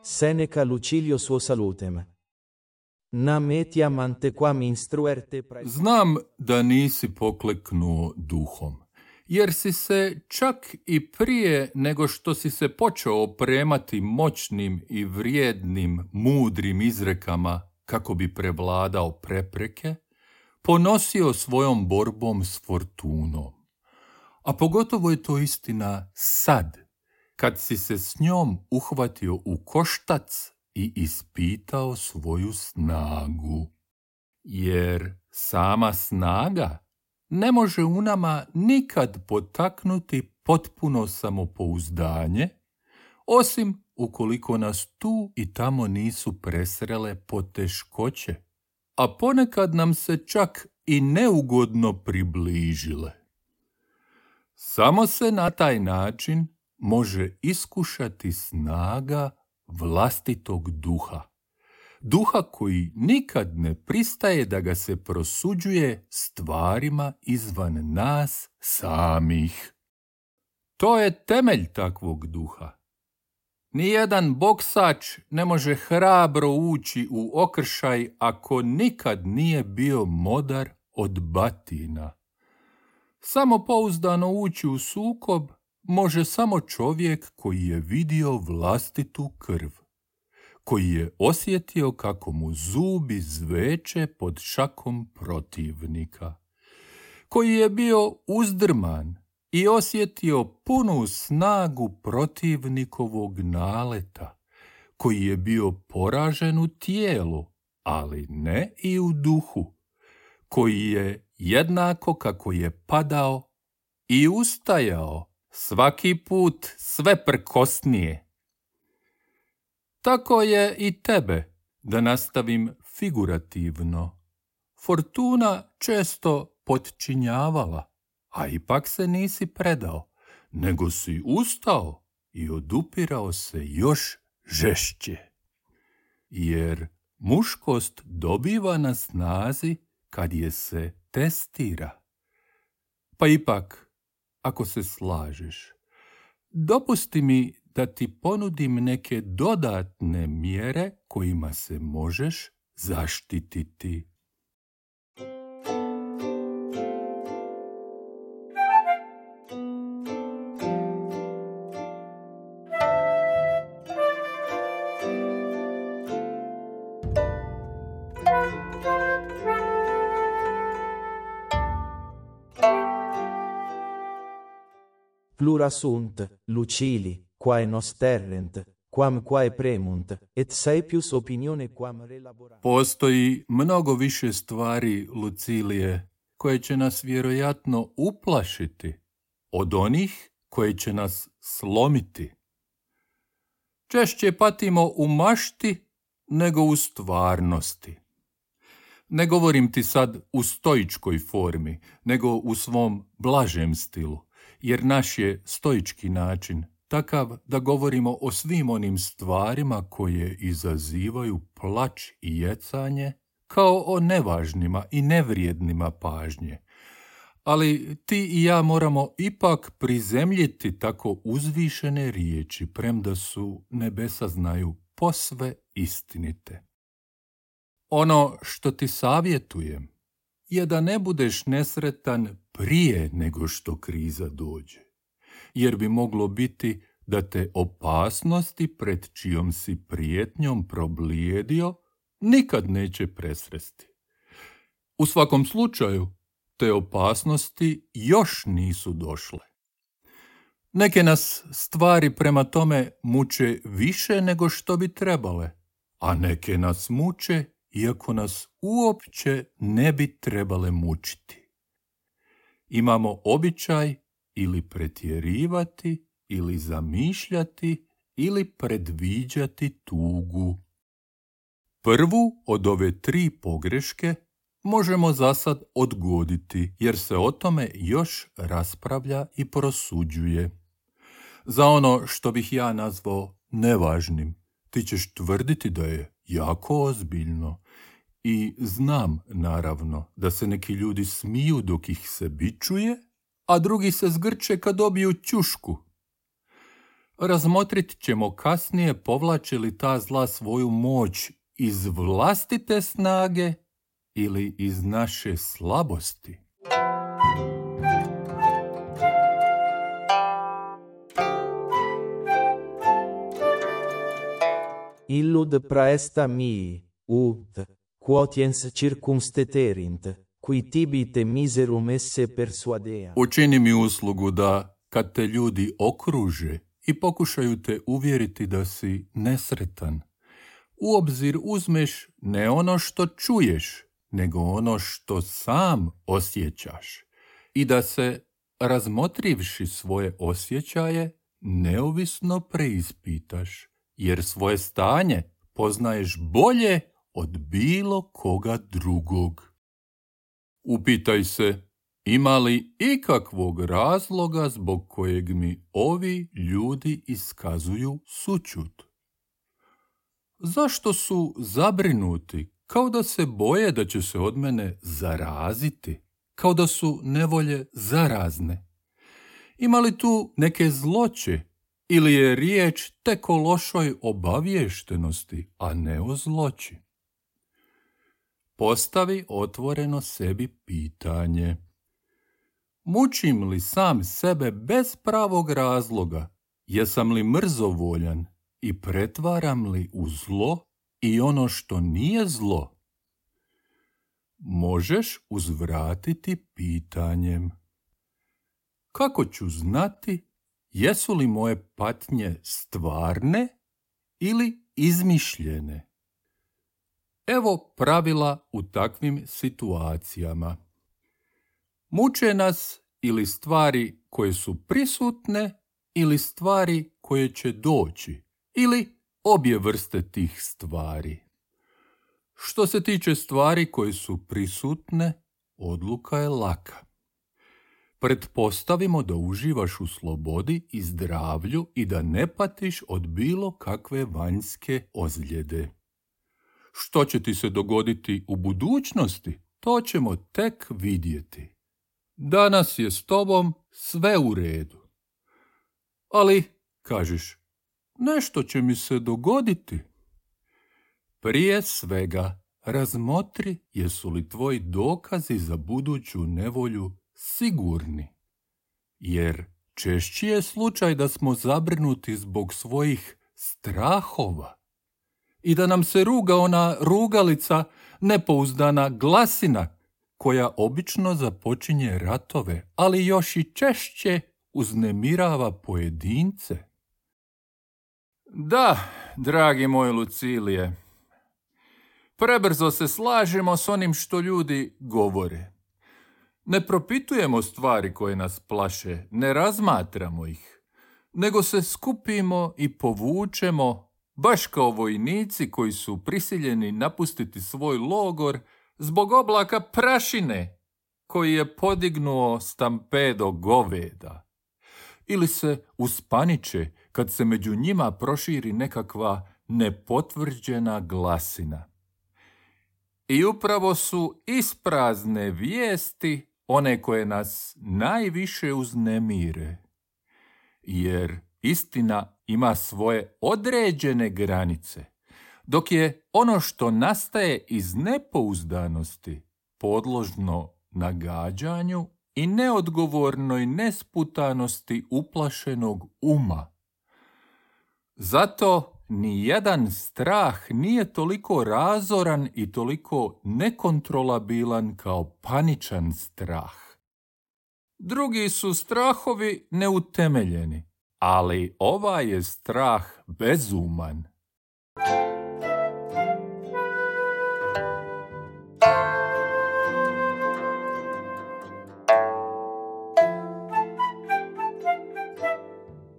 Seneca Lucilio suo salutem. Nam etiam antequam instruerte Znam da nisi pokleknuo duhom, jer si se čak i prije nego što si se počeo opremati moćnim i vrijednim, mudrim izrekama kako bi prevladao prepreke, ponosio svojom borbom s fortunom. A pogotovo je to istina sad, kad si se s njom uhvatio u koštac i ispitao svoju snagu. Jer sama snaga ne može u nama nikad potaknuti potpuno samopouzdanje, osim ukoliko nas tu i tamo nisu presrele poteškoće, a ponekad nam se čak i neugodno približile. Samo se na taj način može iskušati snaga vlastitog duha. Duha koji nikad ne pristaje da ga se prosuđuje stvarima izvan nas samih. To je temelj takvog duha. Nijedan boksač ne može hrabro ući u okršaj ako nikad nije bio modar od batina. Samopouzdano ući u sukob može samo čovjek koji je vidio vlastitu krv, koji je osjetio kako mu zubi zveče pod šakom protivnika, koji je bio uzdrman i osjetio punu snagu protivnikovog naleta, koji je bio poražen u tijelu, ali ne i u duhu, koji je jednako kako je padao i ustajao svaki put sve prkosnije. Tako je i tebe, da nastavim figurativno. Fortuna često potčinjavala, a ipak se nisi predao, nego si ustao i odupirao se još žešće. Jer muškost dobiva na snazi kad je se testira. Pa ipak, ako se slažeš, dopusti mi da ti ponudim neke dodatne mjere kojima se možeš zaštititi. Plura sunt, Lucili, quae nos terrent, quam quae premunt, et saepius opinione quam relaborant. Postoji mnogo više stvari, Lucilije, koje će nas vjerojatno uplašiti od onih koje će nas slomiti. Češće patimo u mašti nego u stvarnosti. Ne govorim ti sad u stoičkoj formi, nego u svom blažem stilu, jer naš je stoički način takav da govorimo o svim onim stvarima koje izazivaju plač i jecanje, kao o nevažnima i nevrijednima pažnje. Ali ti i ja moramo ipak prizemljiti tako uzvišene riječi, premda su, nebesa znaju, posve istinite. Ono što ti savjetujem je da ne budeš nesretan prije nego što kriza dođe, jer bi moglo biti da te opasnosti pred čijom si prijetnjom problijedio nikad neće presresti. U svakom slučaju, te opasnosti još nisu došle. Neke nas stvari prema tome muče više nego što bi trebale, a neke nas muče iako nas uopće ne bi trebale mučiti. Imamo običaj ili pretjerivati, ili zamišljati, ili predviđati tugu. Prvu od ove 3 pogreške možemo zasad odgoditi, jer se o tome još raspravlja i prosuđuje. Za ono što bih ja nazvao nevažnim, ti ćeš tvrditi da je jako ozbiljno. I znam, naravno, da se neki ljudi smiju dok ih se bičuje, a drugi se zgrče kad dobiju ćušku. Razmotrit ćemo kasnije povlači li ta zla svoju moć iz vlastite snage ili iz naše slabosti. Illud praesta mii, ut, quotiens circumsteterint, qui tibi te miserum esse persuadea. Učini mi uslugu da, kad te ljudi okruže i pokušaju te uvjeriti da si nesretan, u obzir uzmeš ne ono što čuješ, nego ono što sam osjećaš i da se, razmotrivši svoje osjećaje, neovisno preispitaš, jer svoje stanje poznaješ bolje od bilo koga drugog. Upitaj se, ima li ikakvog razloga zbog kojeg mi ovi ljudi iskazuju sućut? Zašto su zabrinuti, kao da se boje da će se od mene zaraziti, kao da su nevolje zarazne? Ima li tu neke zloće ili je riječ tek o lošoj obaviještenosti, a ne o zloći? Postavi otvoreno sebi pitanje. Mučim li sam sebe bez pravog razloga? Jesam li mrzovoljan i pretvaram li u zlo i ono što nije zlo? Možeš uzvratiti pitanjem. Kako ću znati jesu li moje patnje stvarne ili izmišljene? Evo pravila u takvim situacijama. Muče nas ili stvari koje su prisutne ili stvari koje će doći ili obje vrste tih stvari. Što se tiče stvari koje su prisutne, odluka je laka. Pretpostavimo da uživaš u slobodi i zdravlju i da ne patiš od bilo kakve vanjske ozljede. Što će ti se dogoditi u budućnosti, to ćemo tek vidjeti. Danas je s tobom sve u redu. Ali, kažeš, nešto će mi se dogoditi. Prije svega, razmotri jesu li tvoji dokazi za buduću nevolju sigurni. Jer češći je slučaj da smo zabrinuti zbog svojih strahova i da nam se ruga ona rugalica, nepouzdana glasina, koja obično započinje ratove, ali još i češće uznemirava pojedince. Da, dragi moj Lucilije, prebrzo se slažemo s onim što ljudi govore. Ne propitujemo stvari koje nas plaše, ne razmatramo ih, nego se skupimo i povučemo, baš kao vojnici koji su prisiljeni napustiti svoj logor zbog oblaka prašine koji je podignuo stampedo goveda. Ili se uspaniče kad se među njima proširi nekakva nepotvrđena glasina. I upravo su isprazne vijesti one koje nas najviše uznemire, jer istina ima svoje određene granice, dok je ono što nastaje iz nepouzdanosti podložno nagađanju i neodgovornoj nesputanosti uplašenog uma. Zato ni jedan strah nije toliko razoran i toliko nekontrolabilan kao paničan strah. Drugi su strahovi neutemeljeni, ali ovaj je strah bezuman.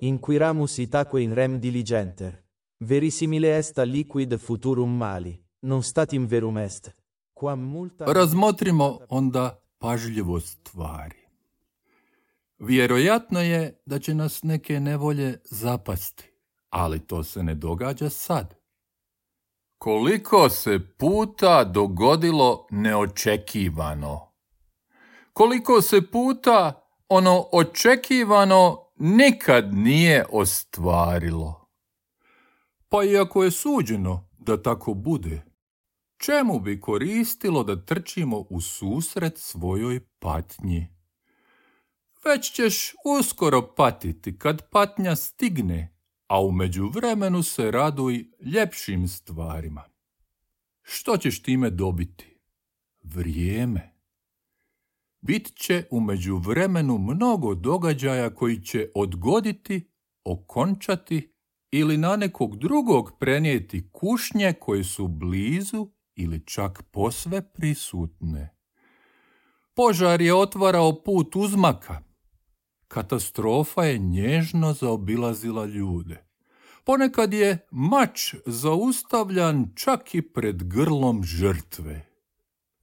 Inquiramus itaque in rem diligenter. Verisimile est liquid futurum mali, non statim verum est. Quam multa... Razmotrimo onda pažljivo stvari. Vjerojatno je da će nas neke nevolje zapasti, ali to se ne događa sad. Koliko se puta dogodilo neočekivano? Koliko se puta ono očekivano nikad nije ostvarilo. Pa iako je suđeno da tako bude, čemu bi koristilo da trčimo u susret svojoj patnji? Već ćeš uskoro patiti kad patnja stigne, a u međuvremenu se raduj ljepšim stvarima. Što ćeš time dobiti? Vrijeme. Bit će u međuvremenu mnogo događaja koji će odgoditi, okončati ili na nekog drugog prenijeti kušnje koje su blizu ili čak posve prisutne. Požar je otvarao put uzmaka. Katastrofa je nježno zaobilazila ljude. Ponekad je mač zaustavljan čak i pred grlom žrtve.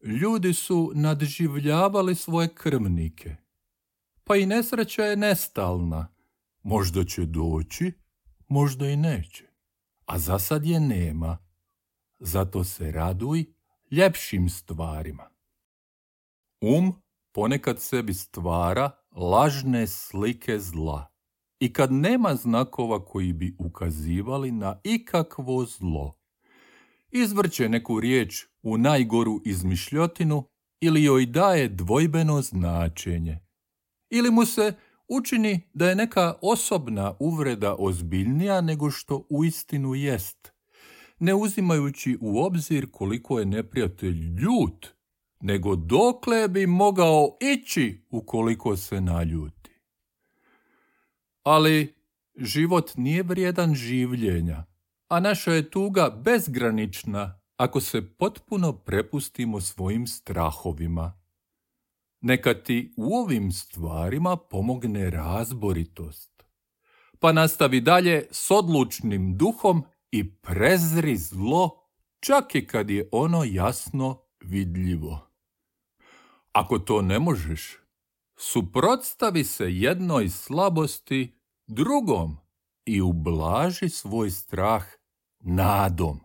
Ljudi su nadživljavali svoje krvnike. Pa i nesreća je nestalna. Možda će doći, možda i neće. A za sad je nema. Zato se raduj ljepšim stvarima. Ponekad sebi stvara lažne slike zla. I kad nema znakova koji bi ukazivali na ikakvo zlo, izvrće neku riječ u najgoru izmišljotinu ili joj daje dvojbeno značenje. Ili mu se učini da je neka osobna uvreda ozbiljnija nego što uistinu jest, ne uzimajući u obzir koliko je neprijatelj ljut, nego dokle bi mogao ići ukoliko se naljuti. Ali život nije vrijedan življenja, a naša je tuga bezgranična ako se potpuno prepustimo svojim strahovima. Neka ti u ovim stvarima pomogne razboritost, pa nastavi dalje s odlučnim duhom i prezri zlo, čak i kad je ono jasno vidljivo. Ako to ne možeš, suprotstavi se jednoj slabosti drugom i ublaži svoj strah nadom.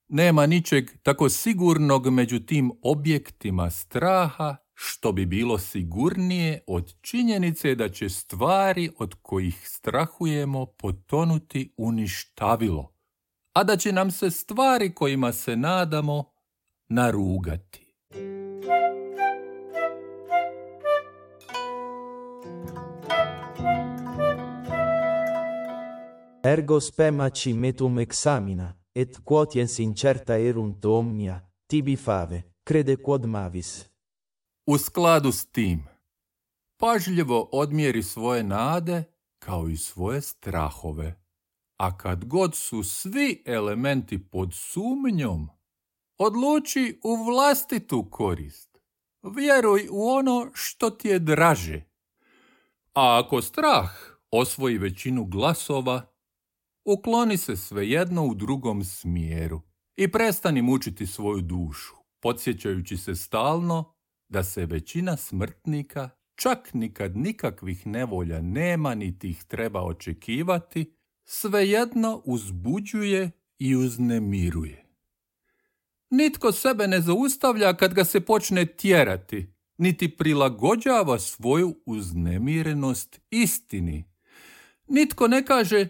Nema ničeg tako sigurnog među tim objektima straha što bi bilo sigurnije od činjenice da će stvari od kojih strahujemo potonuti u ništavilo, a da će nam se stvari kojima se nadamo narugati. Ergo spemaci metum examina, et quotiens incerta erunt omnia, tibi fave, crede quod mavis. U skladu s tim, pažljivo odmjeri svoje nade kao i svoje strahove, a kad god su svi elementi pod sumnjom, odluči u vlastitu korist. Vjeruj u ono što ti je draže. A ako strah osvoji većinu glasova, ukloni se svejedno u drugom smjeru i prestani mučiti svoju dušu, podsjećajući se stalno da se većina smrtnika, čak nikad nikakvih nevolja nema niti ih treba očekivati, svejedno uzbuđuje i uznemiruje. Nitko sebe ne zaustavlja kad ga se počne tjerati, niti prilagođava svoju uznemirenost istini. Nitko ne kaže: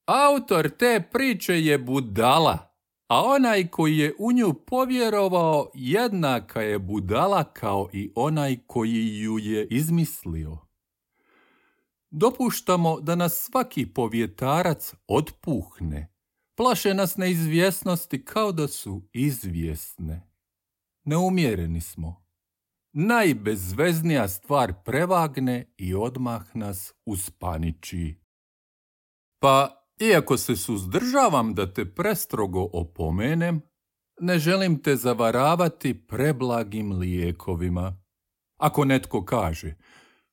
autor te priče je budala, a onaj koji je u nju povjerovao jednaka je budala kao i onaj koji ju je izmislio. Dopuštamo da nas svaki povjetarac otpuhne. Plaše nas neizvjesnosti kao da su izvjesne. Neumjereni smo. Najbezveznija stvar prevagne i odmah nas uspaniči. Pa, iako se suzdržavam da te prestrogo opomenem, ne želim te zavaravati preblagim lijekovima. Ako netko kaže: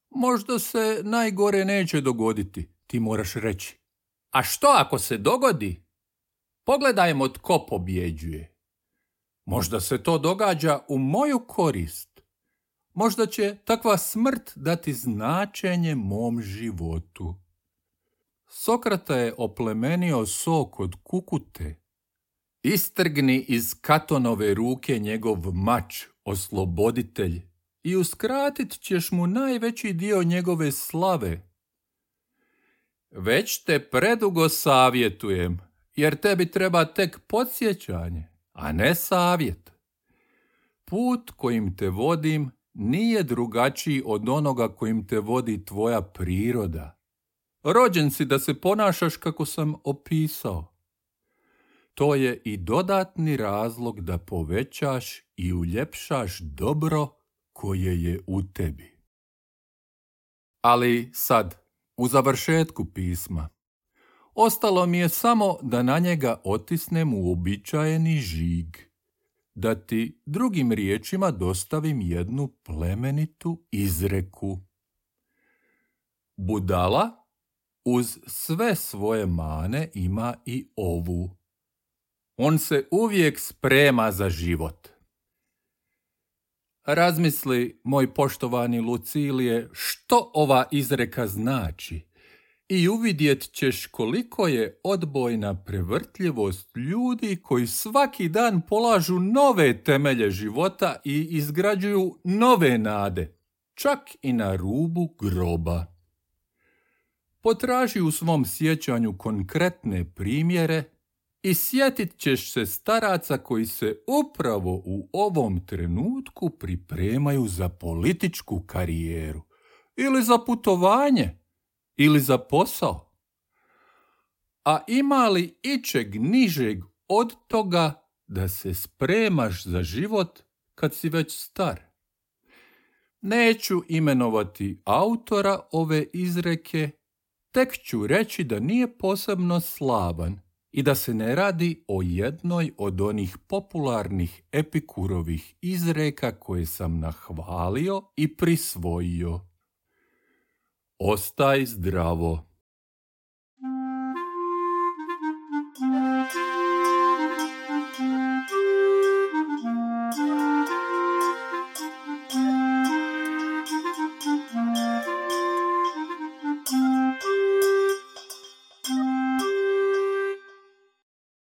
možda se najgore neće dogoditi, ti moraš reći: a što ako se dogodi? Pogledajmo tko pobjeđuje. Možda se to događa u moju korist. Možda će takva smrt dati značenje mom životu. Sokrata je oplemenio sok od kukute. Istrgni iz Katonove ruke njegov mač, osloboditelj, i uskratit ćeš mu najveći dio njegove slave. Već te predugo savjetujem, jer tebi treba tek podsjećanje, a ne savjet. Put kojim te vodim nije drugačiji od onoga kojim te vodi tvoja priroda. Rođen si da se ponašaš kako sam opisao. To je i dodatni razlog da povećaš i uljepšaš dobro koje je u tebi. Ali sad, u završetku pisma, ostalo mi je samo da na njega otisnem uobičajeni žig, da ti drugim riječima dostavim jednu plemenitu izreku. Budala uz sve svoje mane ima i ovu. On se uvijek sprema za život. Razmisli, moj poštovani Lucilije, što ova izreka znači i uvidjet ćeš koliko je odbojna prevrtljivost ljudi koji svaki dan polažu nove temelje života i izgrađuju nove nade, čak i na rubu groba. Potraži u svom sjećanju konkretne primjere i sjetit ćeš se staraca koji se upravo u ovom trenutku pripremaju za političku karijeru, ili za putovanje, ili za posao. A ima li ičeg nižeg od toga da se spremaš za život kad si već star? Neću imenovati autora ove izreke, tek ću reći da nije posebno slavan i da se ne radi o jednoj od onih popularnih Epikurovih izreka koje sam nahvalio i prisvojio. Ostaj zdravo.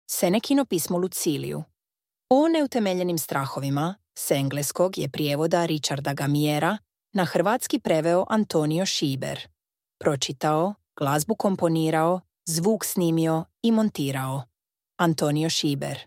Senekino pismo Luciliju. O neutemeljenim strahovima s engleskog je prijevoda Richarda Gamiera na hrvatski preveo Antonio Šiber. Pročitao, glazbu komponirao, zvuk snimio i montirao Antonio Šiber.